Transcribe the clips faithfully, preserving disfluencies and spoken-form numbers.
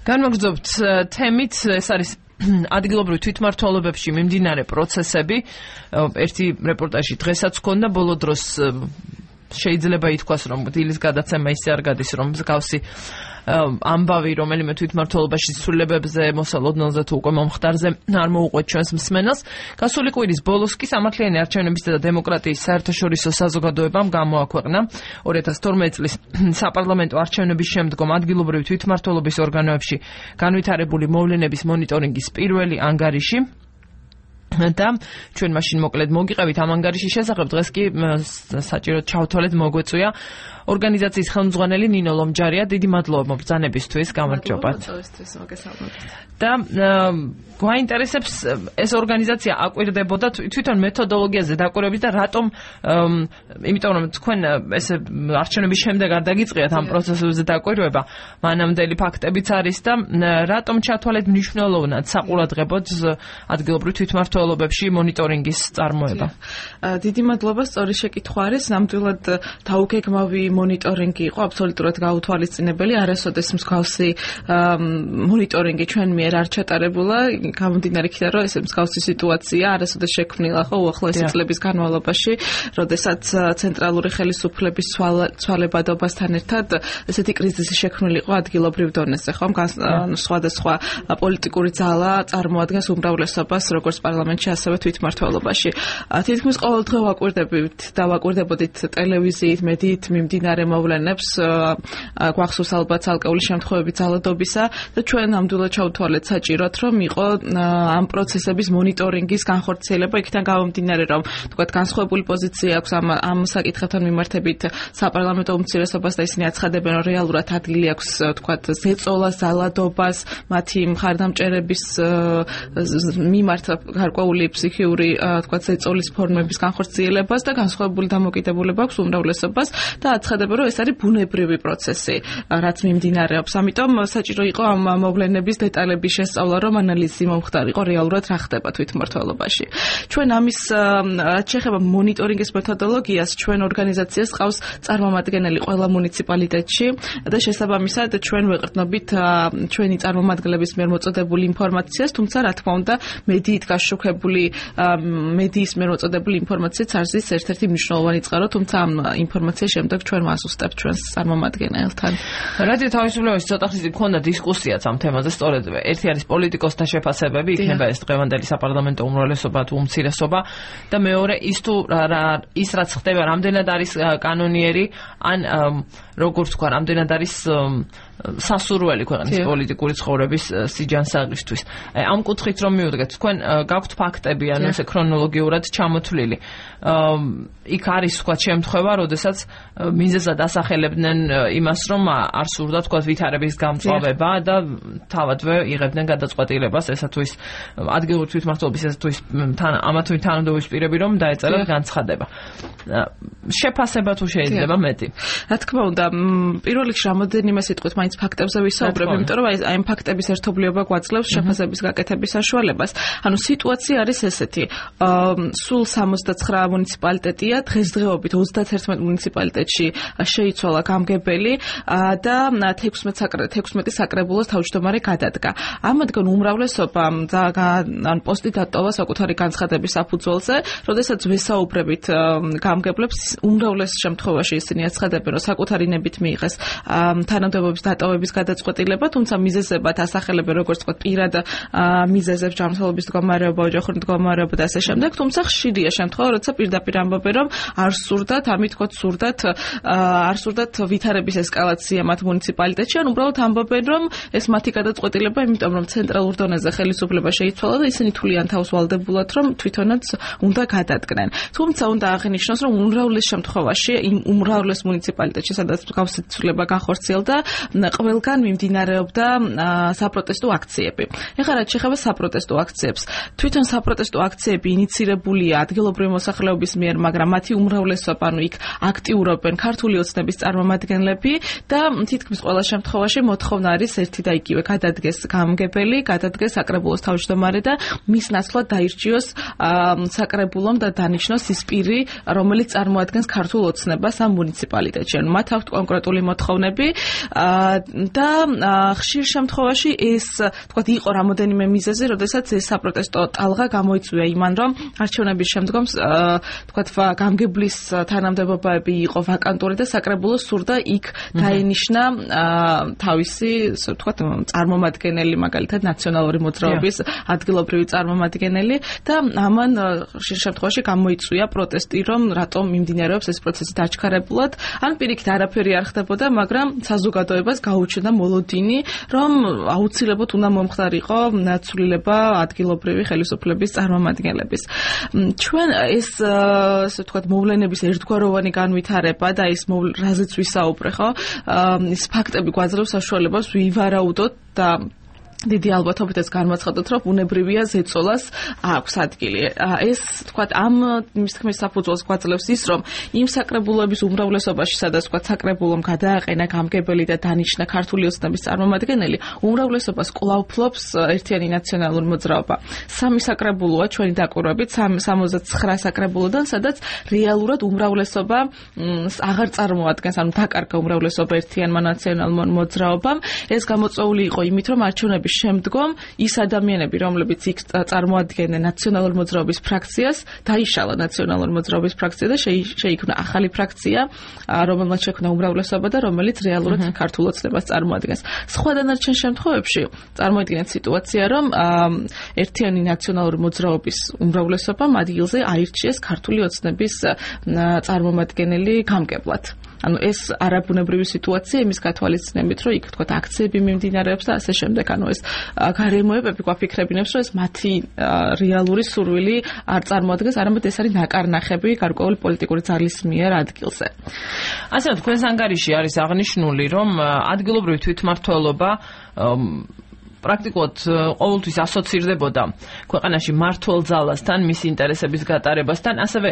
განმოგრძობთ თემით, ეს არის ადგილობრივ თვითმმართველობებში მიმდინარე პროცესები. ერთი რეპორტაჟი დღესაც ჰქონდა, ბოლო დროს შეიძლება ითქვას, რომ დილის გადაცემა ისე არ გადის, რომ მსგავსი ამბავი, რომელიმე თვითმმართველობაში ცვლილებებზე, მოსალოდნელზე თუ უკვე მომხდარზე არ მოუყვეთ ჩვენს მსმენელს. გასული კვირის ბოლოს კი სამართლიანი არჩევნებისა და დემოკრატიის საერთაშორისო საზოგადოებამ გამოაქვეყნა ორი ათას თორმეტი წლის საპარლამენტო არჩევნების შემდგომ ადგილობრივი თვითმმართველობის ორგანოებში განვითარებული მოვლენების მონიტორინგის პირველი ანგარიში. და ჩვენ მაშინ მოკლედ მოგიყევით ამ ანგარიშის შესახებ. დღეს კი საჭიროდ ჩავთვალეთ, მოგვეწვია ორგანიზაციის ხელმძღვანელი ნინო ლომჯარია. დიდი მადლობა მობრძანებისთვის, გამარჯობათ. და გვაინტერესებს ეს ორგანიზაცია აკვირდებოდა თვითონ მეთოდოლოგიაზე დაკვირვებით და რატომ, იმიტომ რომ თქვენ ესე არჩევნების შემდეგ არ დაგიწყიათ ამ პროცესებზე დაკვირვება, მანამდელი ფაქტებიც არის და რატომ ჩათვალეთ მნიშვნელოვნად საყურადღებოდ ადგილობრივ თვითმმართველობებში მონიტორინგის წარმოება. დიდი მადლობა, სწორი შეკითხვა არის. ნამდვილად დაუგეგმავი მონიტორინგი იყო, აბსოლუტურად გაუთვალისწინებელი. არასოდეს მსგავსი მონიტორინგი ჩვენ მიერ არ ჩატარებულა, გამომდინარე იქიდან, რომ ეს მსგავსი სიტუაცია არასოდეს შექმნილა ხო უახლოესი წლების განმავლობაში, როდესაც ცენტრალური ხელისუფლების ცვალებადობასთან ერთად ესეთი კრიზისი შექმნილი იყო ადგილობრივ დონეზე, ხო? სხვადასხვა პოლიტიკური ძალა წარმოადგენს უმრავლესობას როგორც პარლამენტში, ასევე თვითმმართველობაში. თითქმის ყოველ დღე ვაკვირდებით და ვაკვირდებოდით ტელევიზიით, მედიით მიმდინარე მოვლენებს, გვახსოვს ალბათ ალკეული შემთხვევები ძალადობისა და ჩვენ ნამდვილად ჩავთვალეთ საჭიროდ, რომ იყო ამ პროცესების მონიტორინგის განხორციელება, იქიდან გამომდინარე, რომ თქვათ განსხვავებული პოზიცია აქვს ამ ამ საკითხებთან მიმართებით საპარლამენტო უმცირესობას და ისინი აცხადებენ, რომ რეალურად ადგილი აქვს თქვათ ზეწოლას, ძალადობას, მათი მხარდამჭერების მიმართ გარკვეული ფსიქიური თქვათ ზეწოლის ფორმების განხორციელებას და განსხვავებული დამოკიდებულება აქვს უმრავლესობას და აცხადებენ, რომ ეს არის ბუნებრივი პროცესი, რაც მიმდინარეობს. ამიტომ საჭირო იყო ამ მოვლენების დეტალების შესწავლა, რომ ანალიზი მომხდარიყო რეალურად რა ხდება თვითმმართველობაში. ჩვენ ამის რაც შეეხება მონიტორინგის მეთოდოლოგიას, ჩვენ ორგანიზაციას ყავს წარმომადგენელი ყველა მუნიციპალიტეტში და შესაბამისად ჩვენ ვეყრდნობით ჩვენი წარმომადგენლების მიერ მოწოდებული ინფორმაციას, თუმცა რა თქმა უნდა მედიით გაშუქებული მედიის მიერ მოწოდებული ინფორმაციაც არის ერთ-ერთი მნიშვნელოვანი წყარო, თუმცა ამ ინფორმაციის შემდეგ ჩვენ ვასუსტებთ ჩვენს წარმომადგენელთან. რადიო თავისუფლებაში ცოტა ხნის მქონდა დისკუსიაც ამ თემაზე, სწორედ ერთი არის პოლიტიკოსთა შეფასებები, იქნება ეს დღევანდელი საპარლამენტო უმრავლესობა თუ უმცირესობა და მეორე ის თუ ის რაც ხდება, რამდენად არის კანონიერი, ან როგორც თქვა, რამდენად არის სასურველი ქვეყნის პოლიტიკური ცხოვრების სიჯანსაღისთვის. ამ კუთხით რომ მივდგეთ, თქვენ გაქვთ ფაქტები, ანუ ესე ქრონოლოგიურად ჩამოთვლილი. იქ არის თქვა შემთხვევა, როდესაც მიზეზად ასახელებდნენ იმას, რომ არ სურდა თქვა ვითარების გამწვავება და თავადვე იღებდნენ გადაწყვეტილებას, ესა თუ ის ადგილობრივი თვითმმართველობის, ესა თუ ის ამა თუ იმ თანამდებობის პირები რომ დაეწერათ განცხადება. შეფასება თუ შეიძლება მეტი. რა თქმა უნდა, პირველ რიგში რამოდენიმე სიტყვით მაინც ფაქტებზე ვისაუბრებ, იმიტომ რომ აი ამ ფაქტების ერთობლიობა გვაძლევს შეფასების გაკეთების საშუალებას. ანუ სიტუაცია არის ესეთი. სულ სამოცდაცხრა მუნიციპალიტეტია, დღესდღეობით ოცდაათერთმეტ მუნიციპალიტეტში შეიცვალა გამგებელი და თექვსმეტი საკრებულოს თავმჯდომარე გადადგა. ამათგან უმრავლესობა ან პოსტი დატოვა საკუთარი განცხადების საფუძველზე, როდესაც ვესაუბრებით გამგებლებს, უმრავლეს შემთხვევაში ისინი აცხადებენ, რომ საკუთარი ნებით მიიღეს თანამდებობის დატოვების გადაწყვეტილება, თუმცა მიზეზებად ასახელებენ როგორც თქვა პირად მიზეზებს, ჯანმრთელობის მდგომარეობა, ოჯახური მდგომარეობა და ასე შემდეგ, თუმცა ხშირია შემთხვევა, როცა პირდაპირ ამბობენ, რომ არ სურდათ, ამით თქვა სურდათ, არ სურდათ ვითარების ესკალაცია მათ მუნიციპალიტეტში, ან უბრალოდ ამბობენ, რომ ეს მათი გადაწყვეტილება, იმიტომ რომ ცენტრალურ დონეზე ხელისუფლება შეიცვალა და ისინი თვლიან თავს ვალდებულად, რომ თვითონაც უნდა გადადგნენ. თუმცა უნდა აღინიშნოს, რომ უმრავლეს შემთხვევაში, იმ უმრავლეს მუნიციპალიტეტში, სადაც მსგავსი ცვლილება განხორციელდა, ყველგან მიმდინარეობდა საპროტესტო აქციები. ეხლა რაც შეეხება საპროტესტო აქციებს, თვითონ საპროტესტო აქციები ინიცირებულია ადგილობრივი მოსახლეობის მიერ, მაგრამ მათი უმრავლესობა, ანუ იქ აქტიურობენ ქართული ოცნების წარმომადგენლები და თითქმის ყველა შემთხვევაში მოთხოვნა არის ერთი და იგივე, გადადგეს გამგებელი, გადადგეს საკრებულოს თავმჯდომარე და მის ნაცვლად დაირჩიოს საკრებულომ და დანიშნოს ის პირი, რომელიც წარმოადგენს ქართულ ოცნებას ამ მუნიციპალიტეტში. ანუ მათ აქვთ კონკრეტული მოთხოვნები და ხშირ შემთხვევაში ეს თქვათ იყო რამოდენიმე მიზეზი, როდესაც ეს საპროტესტო ტალღა გამოიწვია იმან, რომ არჩევნების შემდგომ თქვათ გამგებლის თანამდებობები იყო ვაკანტური და საკრებულოს სურდა იქ დაენიშნა თავისი თქვათ წარმომადგენელი, მაგალითად ნაციონალური მოძრაობის ადგილობრივი წარმომადგენელი და ამან ხშირ შემთხვევაში გამოიწვია პროტესტი, რომ რატომ მიმდინარეობს ეს პროცესი დაჩქარებულად, ან პირიქით არაფერი არ ხდებოდა, მაგრამ საზოგადოებას გაუჩნდა მოლოდინი, რომ აუცილებლად უნდა მომხდარიყო ცვლილება ადგილობრივი ხელისუფლების წარმომადგენლების. ჩვენ ეს ასე ვთქვათ მოვლენების ერთგვაროვანი განვითარება და ეს რაზეც ვისაუბრე, ხო? ეს ფაქტები გვაძლევს საშუალებას ვივარაუდოთ და დიდი ალბათობით ეს განმაცხადოთ, რომ ბუნებრივია ზეწოლას აქვს ადგილი. ეს თქვათ ამ მის თქმის საფუძველს გვაძლევს ის, რომ იმ საკრებულოების უმრავლესობაში, სადაც თქვათ საკრებულომ გადააყენა გამგებელი და დანიშნა ქართული ოცნების წარმომადგენელი, უმრავლესობას კვლავ ფლობს ერთიანი ნაციონალური მოძრაობა. სამი საკრებულოა ჩვენი დაკვირვებით, სამოცდაცხრა საკრებულოდან, სადაც რეალურად უმრავლესობა აღარ წარმოადგენს, ანუ დაკარგა უმრავლესობა ერთიანმა ნაციონალურ მოძრაობამ. ეს გამოწვეული იყო იმით, რომ არჩევნების შემდგომ ის ადამიანები, რომლებიც იქ წარმოადგენენ ნაციონალურ მოძრაობის ფრაქციას, დაიშალა ნაციონალურ მოძრაობის ფრაქცია და შეიქმნა ახალი ფრაქცია, რომელმაც შექმნა უმრავლესობა და რომელიც რეალურად ქართულ ოცნებას წარმოადგენს. სხვა დანარჩენ შემთხვევებში წარმოიდგინეთ სიტუაცია, რომ ერთიანი ნაციონალური მოძრაობის უმრავლესობამ ადგილზე აირჩიეს ქართული ოცნების წარმომადგენელი გამგებლად. ანუ ეს არაბუნებრივი სიტუაცია იმის გათვალისწინებით, რომ იქ თქვათ აქციები მიმდინარეობს და ასე შემდეგ. ანუ ეს გარემოებები გვაფიქრებინებს, რომ ეს მათი რეალური სურვილი არ წარმოადგენს, არამედ ეს არის ნაკარნახები გარკვეული პოლიტიკური ძალის მიერ ადგილზე. ასე რომ თქვენს ანგარიში არის აღნიშნული, რომ ადგილობრივი თვითმმართველობა პრაქტიკულად ყოველთვის ასოცირდებოდა ქვეყანაში მმართველ ძალასთან, მის ინტერესების გატარებასთან, ასევე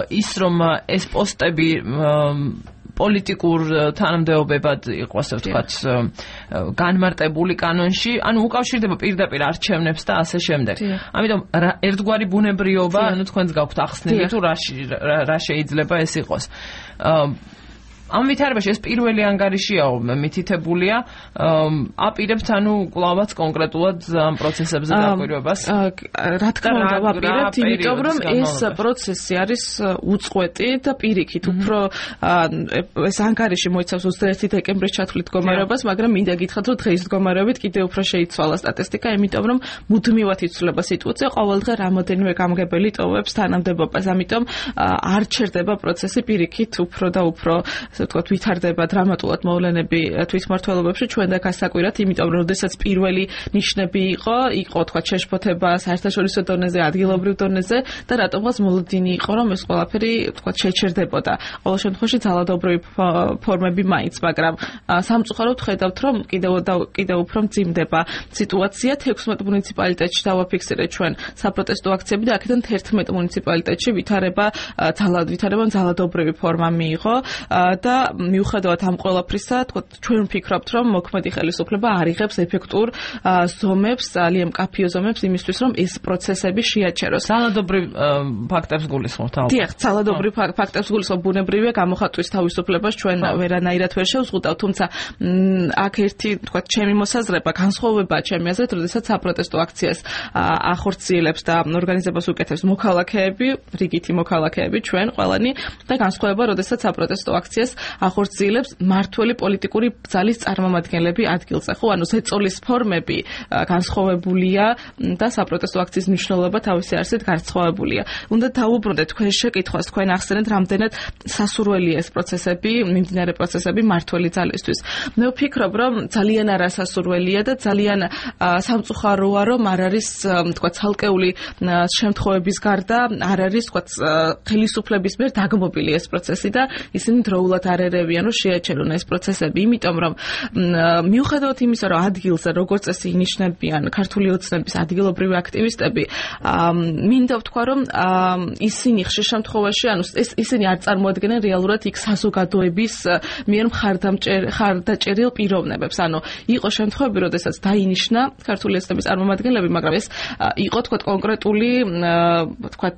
ის, რომ ეს პოსტები პოლიტიკურ თანამდებობებად იყო, ასე ვთქვათ, განმარტებული კანონში, ანუ უკავშირდება პირდაპირ არჩევნებს და ასე შემდეგ. ამიტომ ერთგვარი ბუნებრიობა, ანუ თქვენს გაქვთ ახსნილი, თუ რა შეიძლება ეს იყოს. ამ ვითარებაში ეს პირველი ანგარიშიაო მითითებულია, აპირებთ ანუ კლავაც კონკრეტულად ამ პროცესებზე დაკვირვებას. რა თქმა უნდა, ვაპირებთ, იმიტომ რომ ეს პროცესი არის უწყვეტი და პირიქით, უფრო ეს ანგარიში მოიცავს ოცდაერთი დეკემბრის ჩათვლით მდგომარეობას, მაგრამ მინდა გითხრათ, რომ დღეის მდგომარეობით კიდევ უფრო შეიცვალა სტატისტიკა, იმიტომ რომ მუდმივად იცვლება სიტუაცია, ყოველდღე რამოდენიმე გამგებელი ტოვებს თანამდებობას, ამიტომ არ ჩერდება პროცესი პირიქით უფრო და უფრო ვთქვათ, ვითარდება დრამატულად მოვლენები თვითმმართველობებში ჩვენ და გასაკვირად, იმიტომ რომ როდესაც პირველი ნიშნები იყო, იყო თქვათ შეშფოთება საერთაშორისო დონეზე, ადგილობრივ დონეზე და რატომღაც მოლოდინი იყო, რომ ეს ყველაფერი თქვათ შეჩერდებოდა. ყოველ შემთხვევაში ძალადობრივი ფორმები მაინც, მაგრამ სამწუხაროდ ხედავთ, რომ კიდევ და კიდევ უფრო მძიმდება სიტუაცია. თექვსმეტ მუნიციპალიტეტში დავაფიქსირეთ ჩვენ საპროტესტო აქციები და აქედან თერთმეტ მუნიციპალიტეტში ვითარება ძალად ვითარებამ ძალადობრივი ფორმა მიიღო და მიუხედავად ამ ყველაფრისა, თქო, ჩვენ ვფიქრობთ, რომ მოქმედი ხელისუფლება არიღებს ეფექტურ ზომებს, ძალიან მკაფიო ზომებს იმისთვის, რომ ეს პროცესები შეაჩეროს. ძალადობრივ ფაქტებს გულისხმობთ. დიახ, ძალადობრივ ფაქტებს გულისხმობ, ბუნებრივია გამოხატვის თავისუფლებას ჩვენ ვერანაირად ვერ შევზღუდავთ, თუმცა აქ ერთი, თქვა, ჩემი მოსაზრება, განსხვავებაა ჩემი აზრით, როდესაც საპროტესტო აქციას ახორციელებს და ორგანიზებას უკეთებს მოქალაქეები, რიგითი მოქალაქეები, ჩვენ ყველანი და განსხვავება, როდესაც საპროტესტო აქციას ახორციელებს მმართველი პოლიტიკური ძალის წარმომადგენლები ადგილზე. ხო, ანუ ზეწოლის ფორმები განსხვავებულია და საპროტესტო აქციის მნიშვნელობა თავისი არსით განსხვავებულია. უნდა დავუბრუნდეთ თქვენ შეკითხვას, თქვენ ახსენეთ, რამდენად სასურველია ეს პროცესები, მიმდინარე პროცესები მმართველი ძალისთვის. მე ვფიქრობ, რომ ძალიან არასასურველია და ძალიან სამწუხაროა, რომ არ არის, თქვა, ცალკეული შემთხვევების გარდა არ არის, თქვა, ხელისუფლების მიერ დაგმობილი ეს პროცესი და ისინი დროულად არ ერევიან, რომ შეაჩერონ ეს პროცესები, იმიტომ რომ მიუხედავად იმისა, რომ ადგილზე როგორც წესი ინიშნებიან ქართული ოცნების ადგილობრივი აქტივისტები, მინდა ვთქვა, რომ ისინი ხშირ შემთხვევაში, ანუ ისინი არ წარმოადგენენ რეალურად იქ საზოგადოების მიერ მხარდაჭერილ პიროვნებებს. ანუ იყო შემთხვევები, როდესაც დაინიშნა ქართული ოცნების წარმომადგენლები, მაგრამ ეს იყო, თქვა, კონკრეტული, თქვა,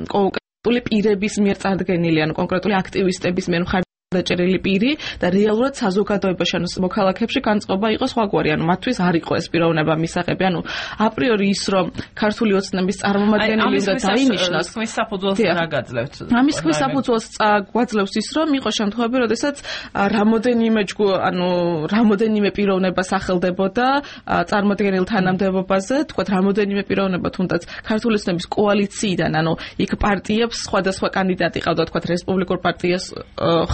კონკრეტული პირების მიერ წარდგენილი, ანუ კონკრეტული აქტივისტების მიერ დაჭერილი პირი და რეალურად საზოგადოებაში ანუ მოქალაქეებში განწყობა იყო სხვაგვარი, ანუ მათთვის არ იყო ეს პიროვნება მისაღები, ანუ აპრიორი ის რომ ქართული ოცნების წარმომადგენელი და დაინიშნოს ხმის საფუძველს რა გაძლევთ? ამის ხმის საფუძველს გვაძლევს ის რომ იყო შემთხვევები, როდესაც რამოდენიმე ჯგუფ, ანუ რამოდენიმე პიროვნება სახელდებოდა წარმოადგენელ თანამდებობაზე, თქვათ რამოდენიმე პიროვნება თუნდაც ქართული ოცნების კოალიციიდან, ანუ იქ პარტიებს სხვადასხვა კანდიდატი ყავდა, თქვათ რესპუბლიკურ პარტიას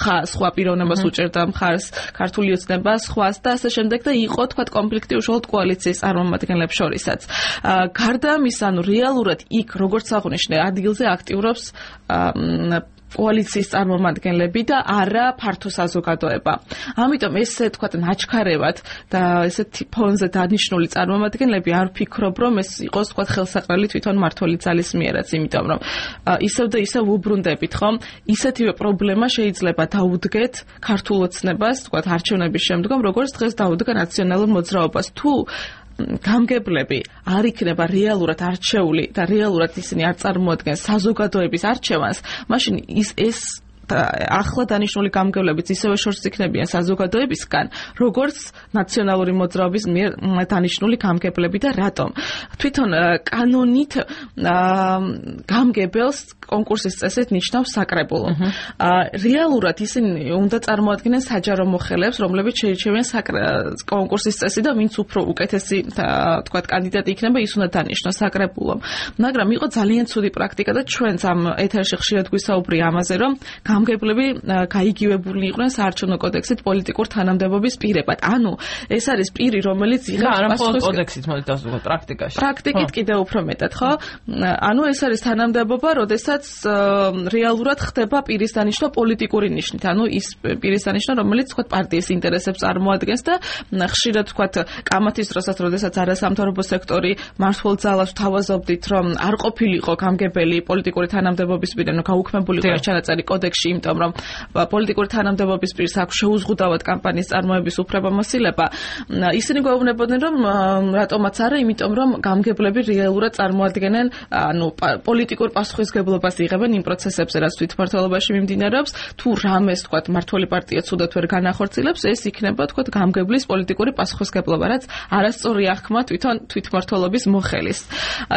ხა სხვა პიროვნებას უჭერდა მხარს ქართული ოცნება სხვას და ასე შემდეგ და იყო თქვა კონფლიქტი უშუალოდ კოალიციის წარმომადგენლებს შორისაც. გარდა ამისა, ანუ რეალურად იქ როგორც აღნიშნე, ადგილზე აქტიურობს კოალიციის წარმომადგენლები და არა ფართო საზოგადოება. ამიტომ ესე თქვა ნაჩქარევად და ესეთი ფონზე დანიშნული წარმომადგენლები არ ვფიქრობ, რომ ეს იყოს თქვა ხელსაყრელი თვითონ მმართველი ძალის მიერაც, იმიტომ რომ ისევ და ისევ უბრუნდებით, ხომ? ისეთივე პრობლემა შეიძლება დაუდგეთ ქართულ ოცნებას, თქვა არჩევნების შემდგომ, როგორც დღეს დაუდგა ნაციონალურ მოძრაობას. თუ გამგებლები არ იქნება რეალურად არჩეული და რეალურად ისინი არ წარმოადგენს საზოგადოების არჩევანს, მაშინ ის ეს ახლა დანიშნული გამგებლებიც ისევე შორს იქნებიან საზოგადოებისგან, როგორც ნაციონალური მოძრაობის მიერ დანიშნული გამგებლები და რატომ? თვითონ კანონით გამგებელს კონკურსის წესით ნიშნავს საკრებულო. რეალურად ისინი უნდა წარმოადგენენ საჯარო მოხელეებს, რომლებიც შეირჩევიან კონკურსის წესი და ვინც უფრო უკეთესი თქვათ კანდიდატი იქნება, ის უნდა დანიშნოს საკრებულომ. მაგრამ იყო ძალიან ცუდი პრაქტიკა და ჩვენც ამ ეთერში ხშირად გვისაუბრია ამაზე, რომ გამგებლები გაიგივებული იყვნენ საარჩევნო კოდექსით პოლიტიკურ თანამდებობის პირებად. ანუ ეს არის პირი, რომელიც იღებს არა მხოლოდ კოდექსით, მოდი დავსვათ პრაქტიკაში. პრაქტიკით კიდევ უფრო მეტად, ხო? ანუ ეს არის თანამდებობა, როდესაც რეალურად ხდება პირის დანიშნა პოლიტიკური ნიშნით. ანუ ის პირის დანიშნა, რომელიც თქვა პარტიის ინტერესებს წარმოადგენს და ხშირად თქვა კამათის დროსაც, როდესაც არასამთავრობო სექტორი მართლ ძალას თავაზობდით, რომ არ ყოფილიყო გამგებელი პოლიტიკური თანამდებობის პირი, ანუ გაუქმებულიყო ეს ჩანაწერი კოდექსში, იმიტომ რომ პოლიტიკური თანამდებობის პირს აქვს შეუზღუდავად კამპანიის წარმოების უფლებამოსილება. ისინი გვეუბნებოდნენ, რომ რატომაც არა, იმიტომ რომ გამგებლები რეალურად წარმოადგენენ, ანუ პოლიტიკურ პასუხისმგებლობას იღებენ იმ პროცესებზე, რაც თვითმმართველობაში მიმდინარეობს. თუ რამეს თქვა მმართველი პარტია ცუდად ვერ განახორციელებს, ეს იქნება თქვა გამგებლის პოლიტიკური პასუხისმგებლობა, რაც არასწორი აღქმა თვითონ თვითმმართველობის მოხელის.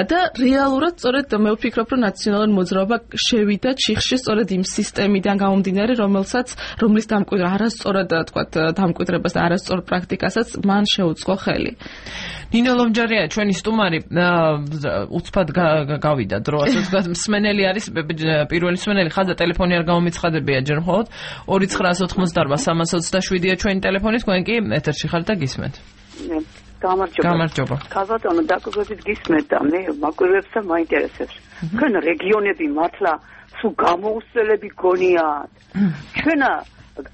და რეალურად სწორედ მე ვფიქრობ, რომ ნაციონალური მოძრაობა შევიდა ჩიხში სწორედ იმ სისტემიდან გამომდინარე, რომელსაც რომლის დამკვიდრება არასწორად თქვა დამკვიდრებას და არასწორ პრაქტიკასაც მან შეუწყო ხელი. ნინო ლომჯარია ჩვენი სტუმარი უცბად გავიდა დრო, ასე ვთქვათ, მსმენელი არის პირველი მსმენელი, ხაზა ტელეფონი არ გამომიცხადებია ჯერ მხოლოდ ორი ცხრაას ოთხმოცდაარბა სამას ოცდაშვიდია ჩვენი ტელეფონი, თქვენ კი ეთერში ხართ და გისმენთ. გამარჯობა. გამარჯობა. ქალბატონო, დაკვირვებით გისმენთ და მე მაკვირვებს და მაინტერესებს. თქვენ რეგიონები მართლა სულ გამოუსწელები გონიათ. ჩვენ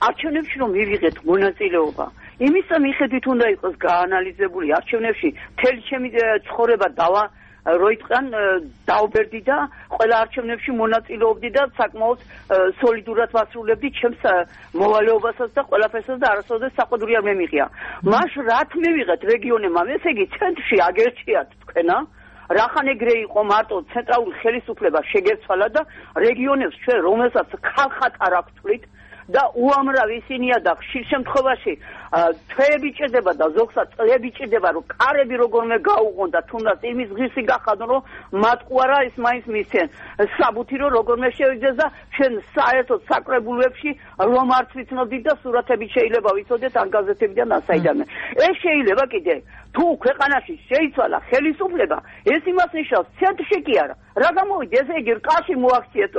არჩევნებში რომ მივიღეთ მონაწილეობა, იმისა მიხედვით უნდა იყოს გაანალიზებული არჩევნებში მთელი ჩემი ცხოვრება დავა როიტყან დაუბერდი და ყველა არჩევნებში მონაწილეობდი და საკმაოდ სოლიდურად ვასრულებდი ჩემს მოვალეობასაც და ყველაფერსაც და არასოდეს საყდური არ მემიღია. მას რაც მივიღეთ რეგიონებმა, ესე იგი ცენტრში აგერჩიათ თქვენა, რახან ეგრე იყო მარტო ცენტრალური ხელისუფლება შეგერცვალა და რეგიონებს ჩვენ რომელსაც ხალხად არ აქვთვლით და უამრავ ისინია და ხშირ შემთხვევაში თვეები ჭირდება და ზოგსაც წლები ჭირდება რომ კარები როგორმე გაუღონ და თუნდაც იმის ღირსი გახადონ რომ მატყუარა ის მაინც მისცენ საბუთი რომ როგორმე შევიდეს და ჩვენ საერთოდ საკრებულებში რომ არც ვიცნობდით და სურათები შეიძლება ვიცოდეთ ან გაზეთებიდან ასაიდანე. ეს შეიძლება კიდე თუ ქვეყანაში შეიცვალა ხელისუფლება, ეს იმას ნიშნავს ცენტრში კი არა. რა გამოვიდა ესე იგი რკაში მოაქციეთ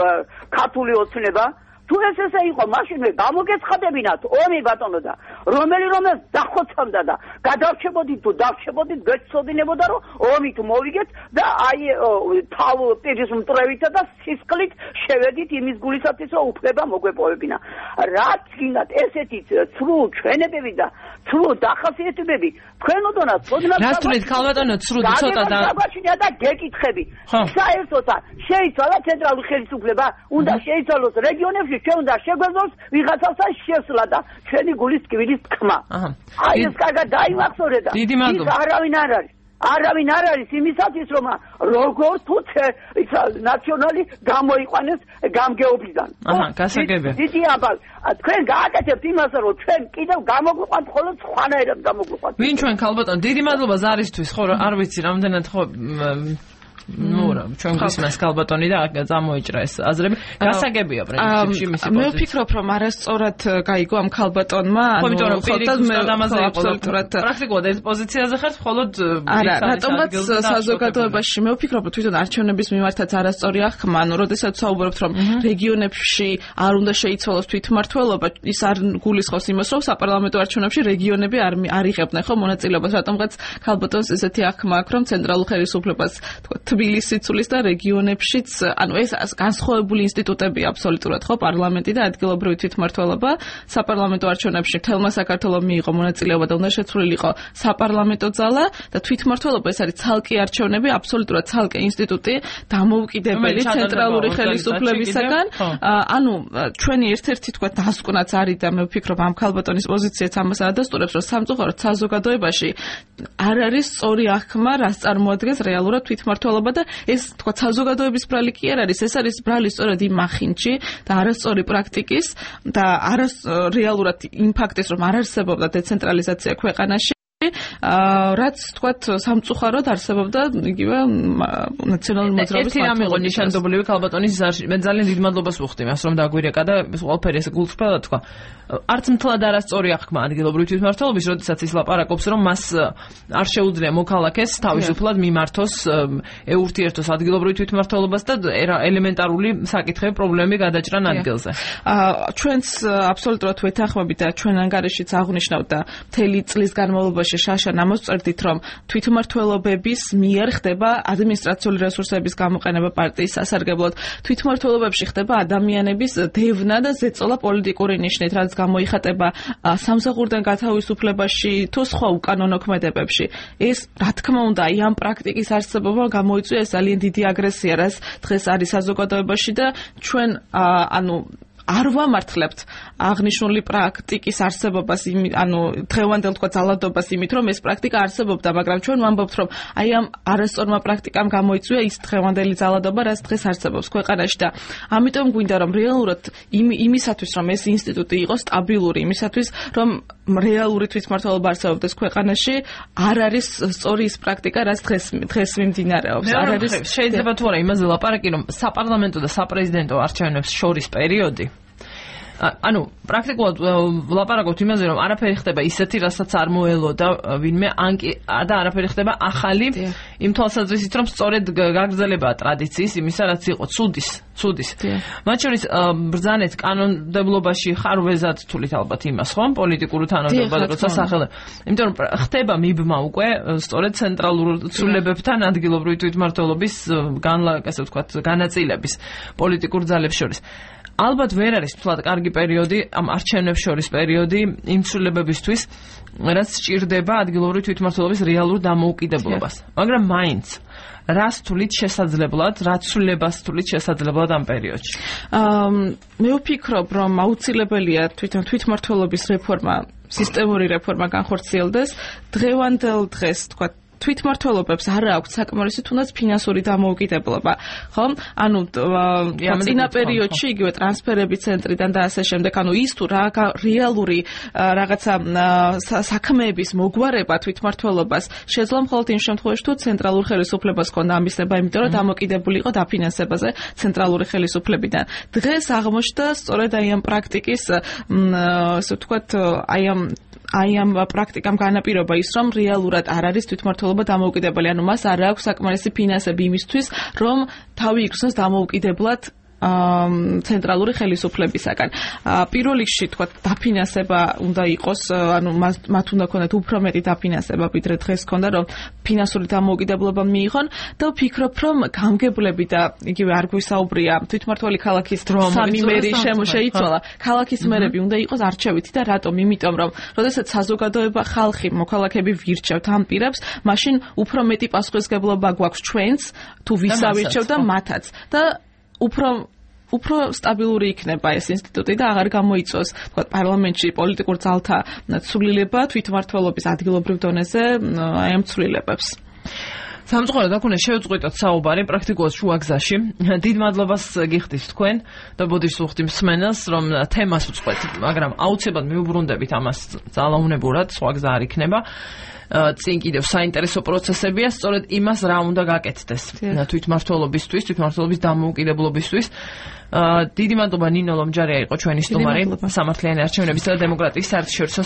ქართული ოცნება თუ ეს ესე იყო, მაშინ მე გამოგეცხადებინათ ომი ბატონო და რომელი რომელს დახოცავდა და გადარჩებოდით თუ დარჩებოდით გეცოდინებოდა რომ ომი თუ მოვიგეთ და აი თავ პირის მტრევითა და სისხლით შევედით იმის გულისათვის რომ უფლება მოგვეპოვებინა. რაც გინდათ ესეთი ცრუ ჩვენებები და ცრუ დახასიათებები თქვენ ოდნავ ცოდნავ რას თვლით ქალბატონო ცრუ ცოტა და დაგაჩნია და გეკითხები. საერთოდ შეიცვალა ცენტრალური ხელისუფლება, უნდა შეიცვალოს რეგიონებში ჩვენ უნდა შეგვეძლოს ვიღაცასთან შესვლა და ჩვენი გულის ტკბილის თქმა. აი ეს კარგად დაიმახსოვრე და ის არავინ არ არის. არავინ არ არის იმისათვის რომ როგორ თუ ისა ნაციონალი გამოიყვანეს გამგეობიდან. აჰა, გასაგებია. დიდი აბალ თქვენ გააკეთებთ იმას რომ ჩვენ კიდევ გამოგვიყვანთ მხოლოდ სხვანაირად გამოგვიყვანთ. ვინ ჩვენ ქალბატონო, დიდი მადლობა ზარისთვის, ხო არ ვიცი რამდენად ხო ну, ჩვენ გვისმენს ქალბატონი და წამოიჭრა ეს აზრები. გასაგებია პრინციპში მისი პოზიცია. მე ვფიქრობ, რომ არასწორად გაიგო ამ ქალბატონმა, ანუ ხოთად მე აბსოლუტურად პრაქტიკულად ეს პოზიციაზე ხარ, მხოლოდ არა, რატომღაც საზოგადოებაში მე ვფიქრობ, რომ თვითონ არჩევნების მიმართაც არასწორი აღქმა, ანუ როდესაც საუბრობთ, რომ რეგიონებში არ უნდა შეიცვალოს თვითმმართველობა, ის არ გულისხმობს იმას, რომ საპარლამენტო არჩევნებში რეგიონები არ არ იღებდნენ ხო მონაწილეობას, რატომღაც ქალბატონს ესეთი აღქმა აქვს, რომ ცენტრალურ ხელისუფლებას თქო თბილისში ცulis და რეგიონებშიც, ანუ ეს განსხვავებული ინსტიტუტებია აბსოლუტურად ხო პარლამენტი და ადგილობრივი თვითმმართველობა საპარლამენტო არჩევნებში თელმა საქართველოს მიიღო მონაწილეობა და უნდა შეცვლილიყო საპარლამენტო ძალა და თვითმმართველობა ეს არის ცალკე არჩევნები, აბსოლუტურად ცალკე ინსტიტუტი დამოუკიდებელი ცენტრალური ხელისუფლებისაგან. ანუ ჩვენი ერთ-ერთი თქვა დასკვნაც არის და მე ვფიქრობ ამ ქალბატონის პოზიციაც ამას ადასტურებს, რომ სამწუხაროდ საზოგადოებაში არ არის სწორი აღქმა, რას წარმოადგენს რეალურად თვითმმართველობა და ეს თქვა საზოგადოების ბრალი კი არ არის, ეს არის ბრალი სწორედ იმ მახინჯი და არასწორი პრაქტიკის და არას რეალურად იმ ფაქტის, რომ არ არსებობდა დეცენტრალიზაცია ქვეყანაში, რაც თქვათ სამწუხაროდ არსებობდა იგივე ნაციონალური მოძრაობის ერთი რამ იყო ნიშანდობლივი ქალბატონის ზარში. მე ძალიან დიდ მადლობას ვუხდი მას რომ დაგვირეკა და ყველაფერი ეს გულწრფელად თქვა. არც მთლად არასწორი აღქმა ადგილობრივი თვითმმართველობის, როდესაც ის ლაპარაკობს, რომ მას არ შეუძლია მოქალაქეს თავისუფლად მიმართოს, ეურთიერთოს ადგილობრივი თვითმმართველობას და ელემენტარული საკითხები, პრობლემები გადაჭრან ადგილზე. ჩვენც აბსოლუტურად ვეთანხმებით და ჩვენ ანგარიშიც აღვნიშნავთ და მთელი წლის განმავლობაში შაშა ნამოსწრდით, რომ თვითმმართველობების მიერ ხდება ადმინისტრაციული რესურსების გამოყენება პარტიის სასარგებლოდ. თვითმმართველობებში ხდება ადამიანების დევნა და ზეწოლა პოლიტიკური ნიშნით, რაც გამოიხატება სამსახურიდან გათავისუფლებაში თუ სხვა უკანონო ქმედებებში. ეს რა თქმა უნდა, აი ამ პრაქტიკის არსებობა გამოიწვია ეს ძალიან დიდი აგრესია, რაც დღეს არის საზოგადოებაში და ჩვენ ანუ არ ვამართლებთ აღნიშნული პრაქტიკის არსებობას, ანუ დღევანდელ თქვა ძალადობას იმით, რომ ეს პრაქტიკა არსებობდა, მაგრამ ჩვენ ვამბობთ, რომ აი ამ არასწორმა პრაქტიკამ გამოიწვია ის დღევანდელი ძალადობა, რაც დღეს არსებობს ქვეყანაში და ამიტომ გვინდა რომ რეალურად იმისათვის, რომ ეს ინსტიტუტი იყოს სტაბილური, იმისათვის, რომ რეალური თვითმმართველობა არსებობდეს ქვეყანაში, არ არის სწორი ის პრაქტიკა, რაც დღეს დღეს მიმდინარეობს. არ არის შეიძლება თუ არა იმაზე ლაპარაკი, რომ საპარლამენტო და საპრეზიდენტო არჩევნებს შორის პერიოდი ანუ პრაქტიკულად ვლაპარაკობთ იმაზე, რომ არაფერი ხდება ისეთი, რასაც არ მოელოდა ვინმე ანკი და არაფერი ხდება ახალი იმ თვალსაზრისით, რომ სწორედ გაგრძელებაა ტრადიციის იმისა, რაც იყო ცუდის, ცუდის. მათ შორის ბრძანეთ კანონმდებლობაში ხარვეზად თulit ალბათ იმას, ხო? პოლიტიკური თანამდებობა როცა სახელმწიფო. იმიტომ რომ ხდება მიბმა უკვე სწორედ ცენტრალურ ცვლილებებთან ადგილობრივი თვითმმართველობის განლაგ, ასე ვთქვათ, განაწილების პოლიტიკურ ძალებს შორის. ალბათ ვერ არის თულად კარგი პერიოდი ამ არჩევნებს შორის პერიოდი იმ ცვლილებებისთვის, რაც სჭირდება ადგილობრივი თვითმმართველობის რეალურ დამოუკიდებლობას. მაგრამ მაინც რას თulit შესაძლებლად, რა ცვლილებას თulit შესაძლებლად ამ პერიოდში? მე ვფიქრობ, რომ აუცილებელია თვითონ თვითმმართველობის რეფორმა, სისტემური რეფორმა განხორციელდეს. დღევანდელ დღეს თქვა თვითმმართველობებს არ აქვს საკმარისი თუნდაც ფინანსური დამოუკიდებლობა, ხო? ანუ წინა პერიოდში იგივე ტრანსფერების ცენტრიდან და ასე შემდეგ, ანუ ის თუ რა რეალური რაღაცა საქმეების მოგვარება თვითმმართველობას შეძლო მხოლოდ იმ შემთხვევაში, თუ ცენტრალურ ხელისუფლებას ჰქონდა ამისება, იმიტომ რომ დამოკიდებული იყო დაფინანსებაზე ცენტრალური ხელისუფლებიდან. დღეს აღმოჩნდა სწორედ აი ამ პრაქტიკის, ასე ვთქვათ, აი ამ აი ამ პრაქტიკამ განაპირობა ის, რომ რეალურად არ არის თვითმმართველობა დამოუკიდებელი, ანუ მას არ აქვს საკმარისი ფინანსები იმისთვის, რომ თავი იქცნოს დამოუკიდებლად ცენტრალური ხელისუფლებისაგან. პირველ რიგში თქვა დაფინანსება უნდა იყოს, ანუ მათ უნდა ქონდეთ უფრო მეტი დაფინანსება, ვიდრე დღეს ქონდა, რომ ფინანსური დამოუკიდებლობა მიიღონ და ვფიქრობ, რომ გამგებლები და იგივე არ გვისაუბრია თვითმმართველი ქალაქის სამი მერი შეიცვალა. ქალაქის მერები უნდა იყოს არჩევითი და რატომ? იმიტომ რომ როდესაც საზოგადოება, ხალხი, მოქალაქეები ვირჩევთ ამ პირებს, მაშინ უფრო მეტი პასუხისმგებლობა გვაქვს ჩვენც, თუ ვისავირჩევ და მათაც. და უფრო უფრო სტაბილური იქნება ეს ინსტიტუტი და აღარ გამოიწვევს, თქვა, პარლამენტში პოლიტიკურ ძალთა ცვლილება თვითმმართველობის ადგილობრივ დონეზე აი ამ ცვლილებებს. სამწუხაროდ აქ უნდა შევწყვიტოთ საუბარი პრაქტიკულად შუა გზაში. დიდ მადლობას გიხდით თქვენ და ბოდიშს უხდი მსმენელს, რომ თემას უწყვეთ, მაგრამ აუცილებლად მიუბრუნდებით ამას ძალაუნებურად, სხვა გზა არ იქნება. წინ კიდევ საინტერესო პროცესებია, სწორედ იმას რა უნდა გაკეთდეს თვითმმართველობისთვის, თვითმმართველობის დამოუკიდებლობისთვის. დიდი მადლობა ნინო ლომჯარია იყო ჩვენი სტუმარი სამართლიანი არჩევნებისა და დემოკრატიის საერთაშორისო